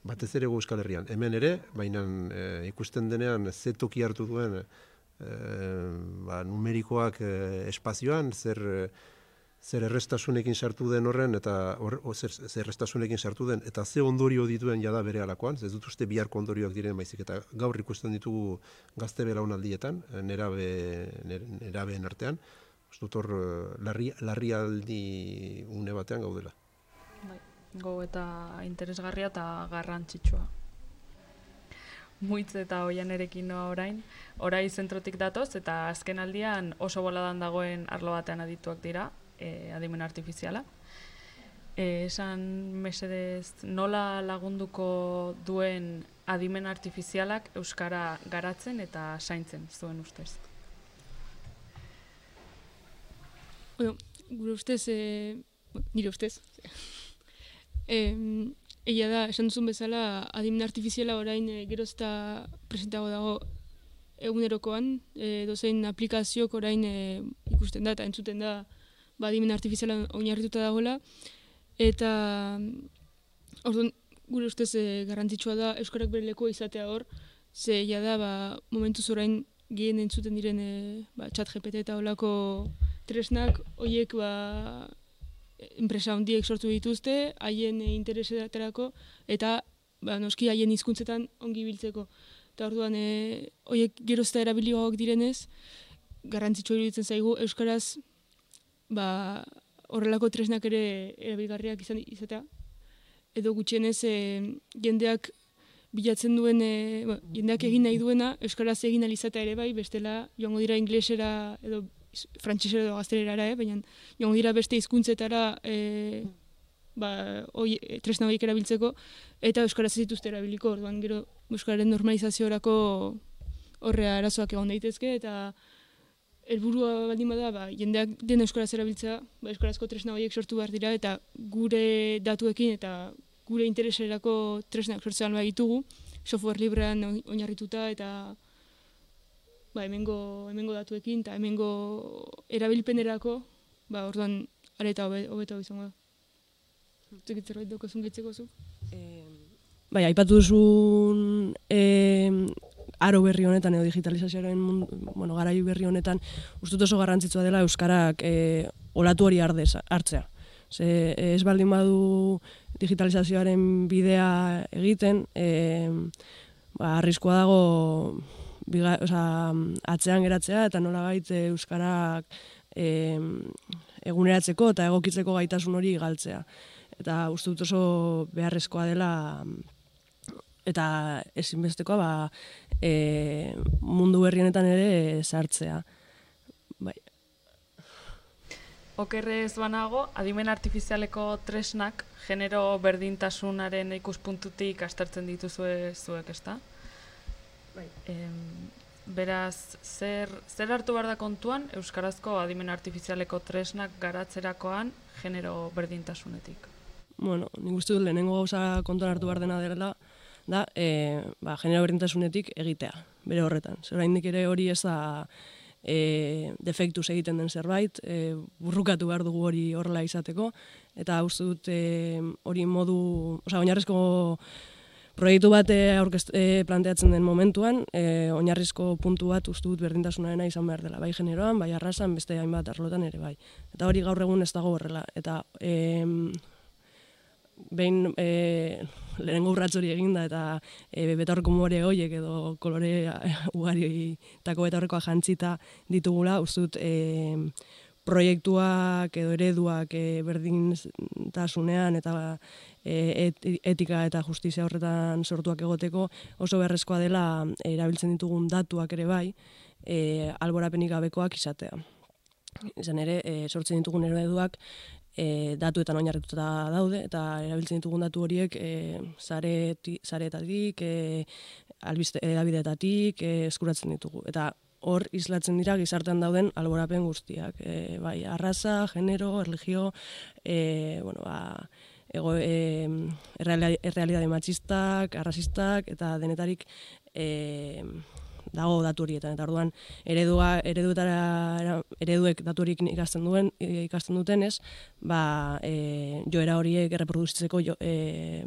Batez ere ego Euskal Herrian. Hemen ere, baina e, ikusten denean ze toki hartu duen e, ba, numerikoak e, espazioan, zer, zer errestasunekin sartu den horren, eta or, o, zer, zer errestasunekin sartu den, eta ze ondorio dituen jada bere alakoan, ez dut uste biharko ondorioak diren baizik, eta gaur ikusten ditugu gazte belaunaldietan, nerabe, nerabeen artean, ez dut hor larri, larrialdi une batean gaudela. Bai, go eta interesgarria eta garrantzitsua. Muitz eta Oianerekin noa orain, orai zentrotik datoz eta azken aldian oso boladan dagoen arlo batean adituak dira, e, adimen artifiziala. E, esan mesedez nola lagunduko duen adimen artifizialak euskara garatzen eta zaintzen zuen ustez? Bueno, gure ustez, e, nire ustez, e, egia da, esan duzun bezala, adimen artifiziala orain e, gerozta presentago dago egunerokoan, e, dozein aplikaziok orain e, ikusten da eta entzuten da ba, adimen artifiziala oinarrituta dagoela, eta orduan, gure ustez e, garrantzitsua da euskarak bere lekoa izatea hor, ze egia da, ba, momentuz orain gehien entzuten diren e, ba, chat G P T eta olako tresnak, horiek ba, enpresa handiek sortu dituzte, haien e, interesetarako, eta ba, noski haien hizkuntzetan ongi biltzeko. Eta orduan, e, horiek gerozta erabiligoak direnez, garrantzitsua iruditzen zaigu, euskaraz ba, horrelako tresnak ere erabilgarriak izan izatea. Edo gutxienez, e, jendeak bilatzen duen, e, ba, jendeak egin nahi duena, euskaraz egin alizatea ere bai, bestela joango dira inglesera edo frantsesera edo gaztelerara, eh? Baina joango dira beste hizkuntzetara e, ba, oi, tresna horiek erabiltzeko, eta euskaraz ez dituzte erabiliko, orduan gero euskararen normalizaziorako horrea arazoak egon daitezke, eta helburua baldin bada, ba, jendeak den euskaraz erabiltzea, ba, euskarazko tresna horiek sortu behar dira, eta gure datuekin eta gure intereserako tresnak sortzean behar ditugu, software librean oinarrituta eta ba, hemengo, hemengo datuekin eta hemengo erabilpenerako, ba, orduan areta hobeto izango da. Zekit zerbait daukozun gehitzeko zu? Eh, bai, aipatu duzun eh, aro berri honetan edo digitalizazioaren mundu, bueno, garai berri honetan ustut oso garrantzitsua dela euskarak eh, olatu hori ardez, hartzea. Ze ez baldin badu digitalizazioaren bidea egiten, eh, ba, arriskua dago biga, oza, atzean geratzea eta nolabait euskarak eh, eguneratzeko eta egokitzeko gaitasun hori galtzea. Eta uste dut oso beharrezkoa dela eta ezinbestekoa ba, e, mundu berri honetan ere sartzea. Bai. Okerrez banago, adimen artifizialeko tresnak genero berdintasunaren ikuspuntutik aztertzen dituzue zuek, ezta? Bai. Em, beraz, zer, zer hartu behar da kontuan euskarazko adimen artifizialeko tresnak garatzerakoan genero berdintasunetik? Bueno, nik uste dut lehenengo gauza kontuan hartu behar dena dela, da, e, ba, genero berdintasunetik egitea, bere horretan. Zer oraindik ere hori ez da e, defektuz egiten den zerbait, e, burrukatu behar dugu hori horrela izateko, eta uste dut e, hori modu, osea, oinarrizko proiektu bat aurkest, e, planteatzen den momentuan, e, oinarrizko puntu bat uste dut berdintasunarena izan behar dela, bai generoan, bai arrasan, beste hainbat arlotan ere bai. Eta hori gaur egun ez dago horrela, eta e, behin e, lehenengo urratz hori eginda eta e, betaurreko more horiek edo kolore ugarietako betaurrekoa jantzita ditugula, uste dut e, proiektuak edo ereduak e, berdintasunean eta e, et, etika eta justizia horretan sortuak egoteko oso beharrezkoa dela e, erabiltzen ditugun datuak ere bai, e, alborapenik gabekoak izatea. Izan ere, e, sortzen ditugun ereduak E, datuetan oinarrituta daude eta erabiltzen ditugun datu horiek e, sareetatik, e, albiste edabideetatik e, eskuratzen ditugu. Eta hor islatzen dira gizartean dauden alborapen guztiak. E, bai, arraza, genero, erlijio, e, bueno, ba, ego, e, errealidade matxistak, arrazistak eta denetarik e, dago datu horietan, eta orduan eredua, ereduetara, ereduek datu horiek ikasten duen, ikasten dutenez, ba, e, joera horiek erreproduzitzeko jo, e,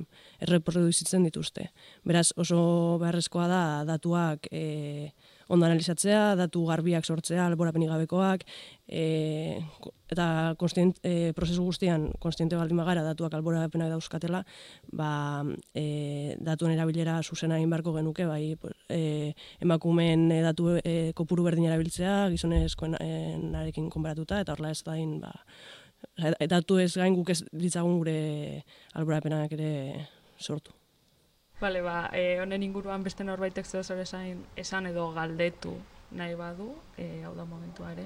erreproduzitzen dituzte. Beraz, oso beharrezkoa da datuak e, ondo analizatzea, datu garbiak sortzea, alborapenik gabekoak, e, eta konstient, e, prozesu guztian konstiente baldin bagara datuak alborapenak dauzkatela, ba, e, datuen erabilera zuzena egin beharko genuke, bai, e, emakumeen e, datu e, kopuru berdin erabiltzea, gizonezkoenarekin konparatuta, eta horrela ez da in, ba, datu ez gain guk ez ditzagun gure alborapenak ere sortu. Bale, ba, e, honen inguruan beste norbaitek zeo zer esan, esan edo galdetu nahi badu, e, hau da momentua ere.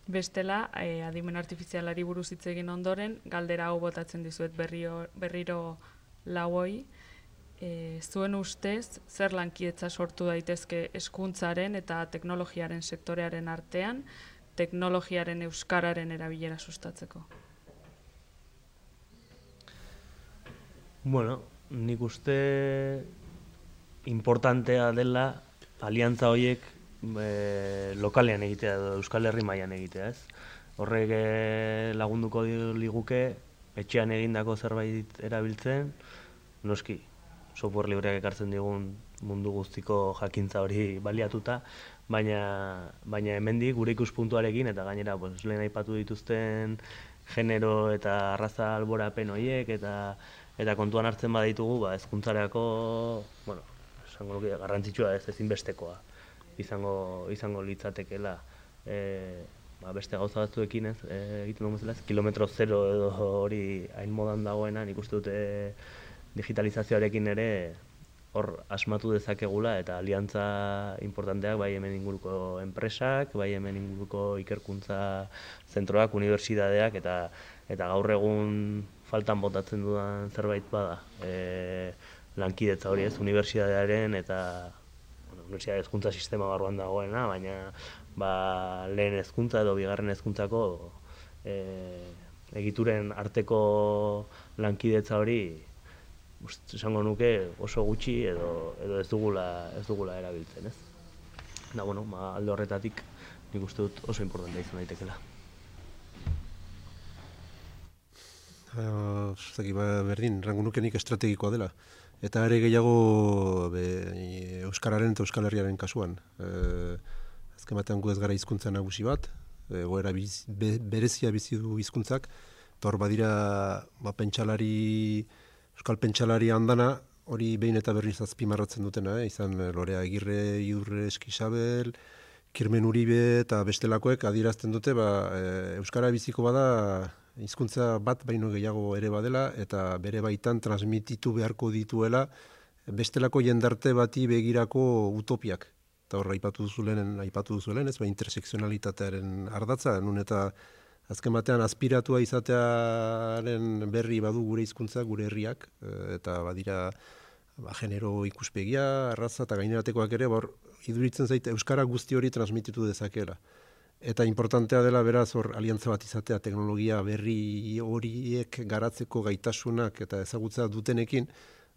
Bestela, e, adimen artifizialari buruz hitz egin ondoren, galdera hau botatzen dizuet berriro, berriro lauoi. E, zuen ustez, zer lankietza sortu daitezke hezkuntzaren eta teknologiaren sektorearen artean, teknologiaren euskararen erabilera sustatzeko? Bueno, nik uste importantea dela aliantza horiek e, lokalean egitea edo Euskal Herri mailan egitea, ez? Horrek e, lagunduko liguke etxean egindako zerbait erabiltzen, noski, software libreak ekartzen digun mundu guztiko jakintza hori baliatuta, baina, baina hemendik gure ikuspuntuarekin eta gainera pues, lehen aipatu dituzten genero eta arraza alborapen horiek eta eta kontuan hartzen baditugu, ba, hezkuntzarako, bueno, esango nuke garrantzitsua ez ezinbestekoa izango izango litzatekeela e, ba, beste gauza batzuekin ez e, egiten dugu bezala, kilometro zero edo hori hain modan dagoena, nik uste dute digitalizazioarekin ere hor asmatu dezakegula eta aliantza importanteak bai hemen inguruko enpresak, bai hemen inguruko ikerkuntza zentroak, unibertsitateak eta eta gaur egun faltan botatzen dudan zerbait bada. E, lankidetza hori ez, unibertsitatearen eta bueno, unibertsitate hezkuntza sistema barruan dagoena, baina ba, lehen hezkuntza edo bigarren hezkuntzako e, egituren arteko lankidetza hori esango nuke oso gutxi edo, edo ez dugula ez dugula erabiltzen, ez? Da, bueno, ba, alde horretatik nik uste dut oso importantea izan daitekela. Uh, ba, berdin, rango nuke nik estrategikoa dela. Eta ere gehiago be, Euskararen eta Euskal Herriaren kasuan. E, azken batean gu ez gara hizkuntza nagusi bat, e, goera biz, be, berezia bizi du hizkuntzak, eta hor badira ba, pentsalari, Euskal pentsalari handana, hori behin eta berriz azpimarratzen dutena, eh? Izan Lorea Agirre, Iurre Eskisabel, Kirmen Uribe eta bestelakoek adierazten dute, ba, e, Euskara biziko bada hizkuntza bat baino gehiago ere badela eta bere baitan transmititu beharko dituela bestelako jendarte bati begirako utopiak. Eta hor aipatu duzulen, aipatu duzulen, ez ba intersekzionalitatearen ardatza, nun eta azken batean aspiratua izatearen berri badu gure hizkuntza, gure herriak, eta badira ba, genero ikuspegia, arraza eta gaineratekoak ere, hor iduritzen zaite euskara guzti hori transmititu dezakeela. Eta importantea dela beraz hor aliantza bat izatea teknologia berri horiek garatzeko gaitasunak eta ezagutza dutenekin,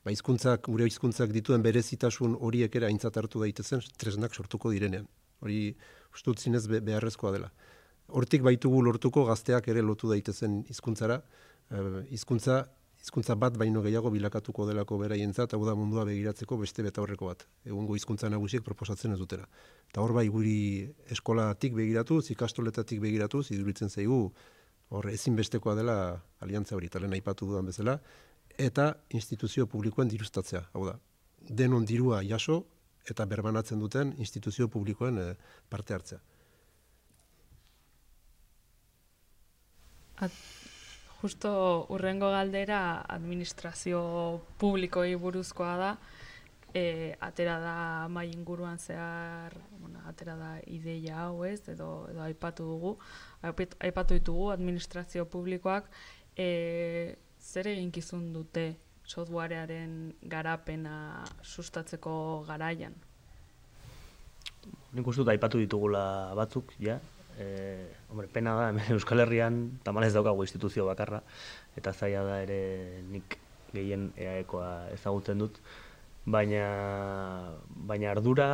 ba hizkuntzak, gure hizkuntzak dituen berezitasun horiek ere aintzat hartu daitezen tresnak sortuko direnean. Hori uste dut zinez beharrezkoa dela. Hortik baitugu lortuko gazteak ere lotu daitezen hizkuntzara, hizkuntza hizkuntza bat baino gehiago bilakatuko delako beraientzat, hau da mundua begiratzeko beste betaurreko bat. Egungo hizkuntza nagusiek proposatzen ez dutela. Eta hor bai guri eskolatik begiratuz, ikastoletatik begiratuz, iduritzen zaigu hor ezinbestekoa dela aliantza hori, eta lehen aipatu dudan bezala, eta instituzio publikoen diruztatzea. Hau da, denon dirua jaso eta berbanatzen duten instituzio publikoen eh, parte hartzea. At Justo urrengo galdera administrazio publikoei buruzkoa da, e, atera da mai inguruan zehar, bueno, atera da ideia hau ez, edo, edo aipatu dugu, aipatu ditugu administrazio publikoak, e, zer eginkizun dute softwarearen garapena sustatzeko garaian? Nik uste dut aipatu ditugula batzuk, ja. Eh, hombre, pena da, hemen Euskal Herrian tamalez daukagu instituzio bakarra, eta zaila da ere nik gehien eaekoa ezagutzen dut, baina, baina ardura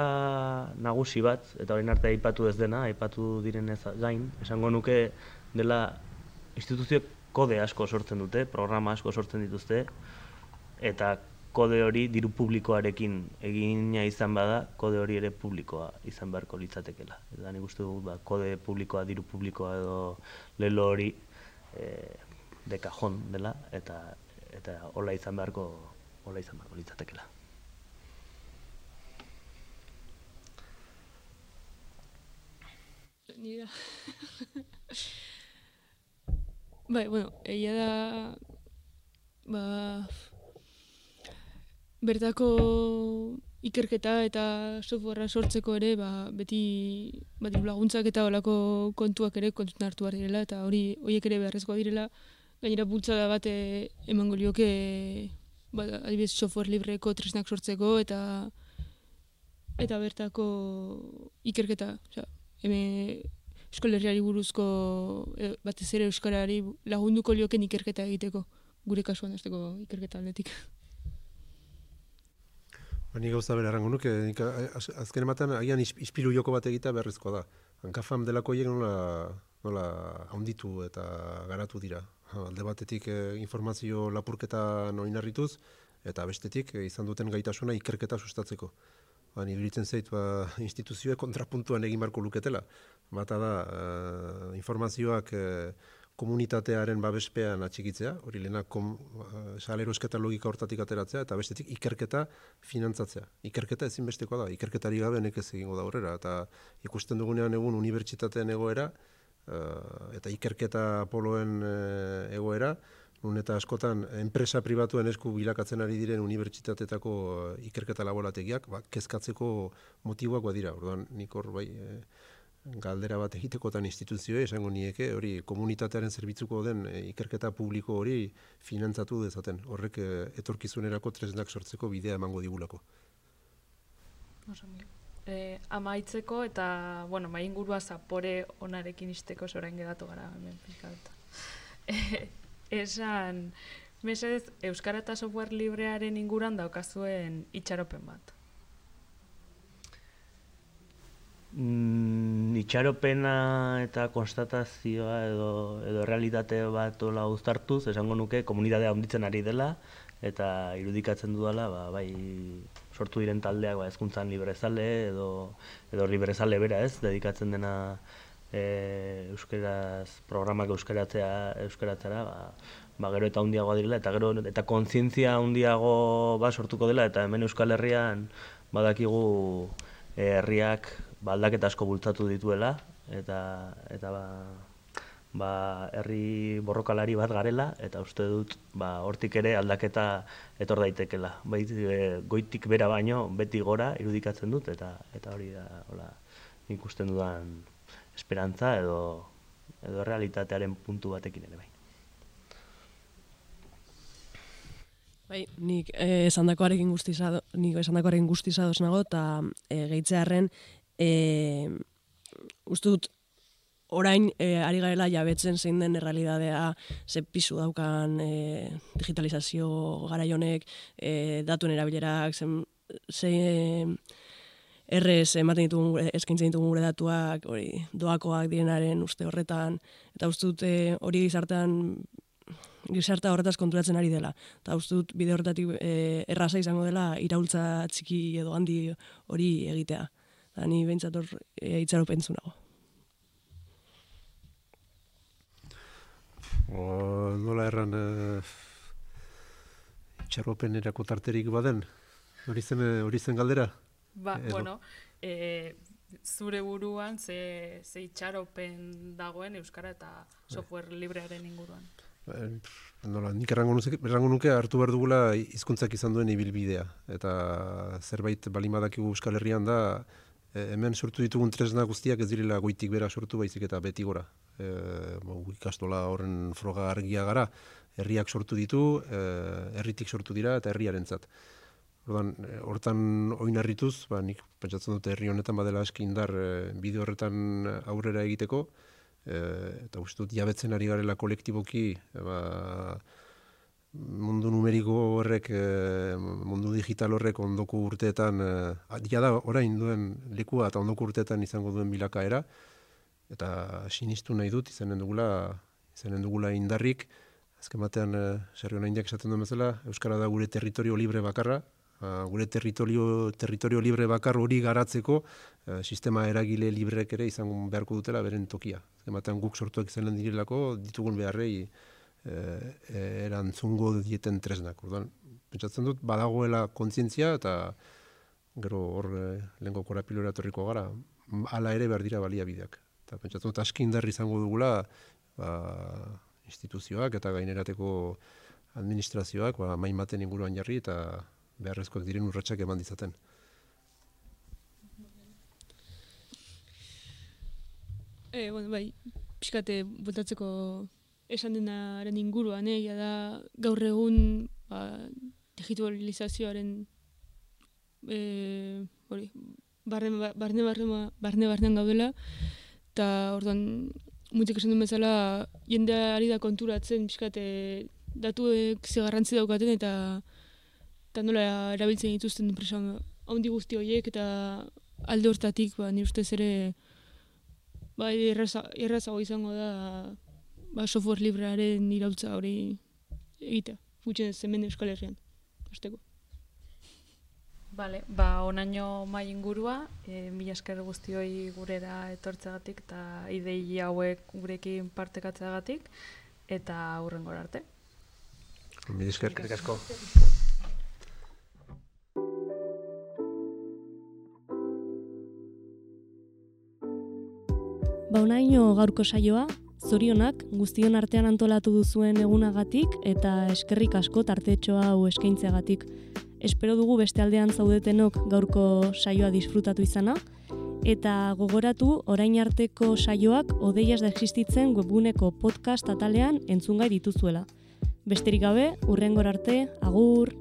nagusi bat, eta orain arte aipatu ez dena, aipatu direnez gain, esango nuke dela instituzio kode asko sortzen dute, programa asko sortzen dituzte, eta kode hori diru publikoarekin egina izan bada, kode hori ere publikoa izan beharko litzatekela. Eta nik uste dut, ba, kode publikoa, diru publikoa edo lelo hori e, de kajon dela, eta eta hola izan beharko, hola izan beharko litzatekela. Nira. Bai, bueno, egia da, ba, bertako ikerketa eta softwarea sortzeko ere ba, beti ba, laguntzak eta olako kontuak ere kontutan hartu behar direla eta hori horiek ere beharrezkoa direla. Gainera bultzada bat emango lioke ba, adibidez software libreko tresnak sortzeko eta eta bertako ikerketa. Osea, hemen Euskal Herriari buruzko, e, batez ere euskarari lagunduko lioken ikerketa egiteko, gure kasuan hasteko ikerketa aldetik. Ba, ni gauza bera errango nuke, nik az, azken ematen agian ispilu joko bat egitea beharrezkoa da. Hankafam delako hiek nola, nola haunditu eta garatu dira. Alde batetik eh, informazio lapurketa oinarrituz, eta bestetik eh, izan duten gaitasuna ikerketa sustatzeko. Ba, ni iruditzen zait ba, instituzioek kontrapuntuan egin beharko luketela. Bata da, eh, informazioak eh, komunitatearen babespean atxikitzea, hori lehenak kom, uh, salerosketa logika hortatik ateratzea, eta bestetik ikerketa finantzatzea. Ikerketa ezinbestekoa da, ikerketari gabe nekez egingo da aurrera, eta ikusten dugunean egun unibertsitateen egoera, uh, eta ikerketa poloen uh, egoera, nun eta askotan enpresa pribatuen esku bilakatzen ari diren unibertsitateetako uh, ikerketa laborategiak, ba, kezkatzeko motiboak badira. Orduan, nik hor bai, eh, galdera bat egitekotan instituzioe, esango nieke, hori komunitatearen zerbitzuko den e, ikerketa publiko hori finantzatu dezaten. Horrek e, etorkizunerako tresnak sortzeko bidea emango digulako. E, amaitzeko eta, bueno, mai ingurua zapore onarekin isteko zorain geratu gara, hemen pixkat. E, esan, mesedez, Euskara eta software librearen inguran daukazuen itxaropen bat. Mm, itxaropena eta konstatazioa edo, edo realitate bat ola uztartuz, esango nuke komunitatea handitzen ari dela eta irudikatzen dudala, ba, bai sortu diren taldeak ba, hezkuntzan librezale edo, edo librezale bera ez, dedikatzen dena e, euskeraz, programak euskaratzea, euskaratzera, ba, ba, gero eta handiagoa direla eta gero eta kontzientzia handiago ba, sortuko dela eta hemen Euskal Herrian badakigu e, herriak ba, aldaketa asko bultzatu dituela, eta, eta ba, ba, herri borrokalari bat garela, eta uste dut ba, hortik ere aldaketa etor daitekela. Bai, e, goitik bera baino, beti gora irudikatzen dut, eta eta hori da hola, ikusten dudan esperantza edo, edo realitatearen puntu batekin ere bai. Bai, nik eh, esandakoarekin guztizado, nik esandakoarekin guztizadoz nago, eta eh, gehitzearen E, uste dut orain e, ari garela jabetzen zein den errealidadea ze pisu daukan e, digitalizazio garaionek, e, datuen erabilerak, zen, ze errez ematen ditugun, eskaintzen ditugun gure datuak, hori doakoak direnaren uste horretan, eta uste dut e, hori gizartean gizartea horretaz konturatzen ari dela. Eta uste dut bide horretatik e, erraza izango dela iraultza txiki edo handi hori egitea. Da, ni behintzat hor e, itxaropen zunago. O, nola erran e, itxaropen erako tarterik baden? Hori zen, hori zen galdera? Ba, Edo. bueno, e, zure buruan ze, ze itxaropen dagoen Euskara eta software librearen inguruan? Nola, nik errango nuke, errango nuke hartu behar dugula hizkuntzak izan duen ibilbidea. Eta zerbait balimadakigu Euskal Herrian da, e, hemen sortu ditugun tresna guztiak ez direla goitik bera sortu baizik eta beti gora. E, bo, ikastola horren froga argia gara, herriak sortu ditu, e, herritik sortu dira eta herriarentzat. Ordan, hortan oinarrituz, ba, nik pentsatzen dute herri honetan badela aski indar e, bide horretan aurrera egiteko, e, eta uste dut jabetzen ari garela kolektiboki, e, ba, mundu numeriko horrek, e, mundu digital horrek ondoko urteetan, e, jada orain duen lekua eta ondoko urteetan izango duen bilakaera, eta sinistu nahi dut izanen dugula, izanen dugula indarrik, azken batean, e, Sergio Naindiak esaten duen bezala, Euskara da gure territorio libre bakarra, Uh, gure territorio, territorio libre bakar hori garatzeko uh, sistema eragile librek ere izango beharko dutela beren tokia. Ematen guk sortuak izanen direlako ditugun beharrei uh, erantzungo dieten tresnak. Orduan, pentsatzen dut badagoela kontzientzia eta gero hor uh, lehenko korapilora etorriko gara, hala ere behar dira baliabideak. Eta pentsatzen dut aski indarri izango dugula ba, instituzioak eta gainerateko administrazioak ba, main baten inguruan jarri eta beharrezkoak diren urratsak eman dizaten. E, bueno, bai, pixkate botatzeko esan denaren inguruan, eh, da gaur egun ba, digitalizazioaren e, hori, barne barne barne barne gaudela eta orduan mutik esan duen bezala jendea ari da konturatzen pixkat e, datuek ze garrantzi daukaten eta eta nola erabiltzen dituzten enpresa handi guzti horiek eta alde hortatik ba, nire ustez ere ba, erraza, errazago izango da ba, software librearen iraultza hori egitea, gutxen hemen Euskal Herrian, hasteko. Bale, ba, onaino mai ingurua, e, mila esker guztioi gurera etortzeagatik eta idei hauek gurekin partekatzeagatik eta hurrengora arte. Mila esker. Eskerrik asko. Ba, onaino gaurko saioa, zorionak guztion artean antolatu duzuen egunagatik eta eskerrik asko tartetxo hau eskaintzeagatik. Espero dugu beste aldean zaudetenok gaurko saioa disfrutatu izana, eta gogoratu orain arteko saioak Odeiaz da existitzen webguneko podcast atalean entzungai dituzuela. Besterik gabe, hurrengora arte, agur!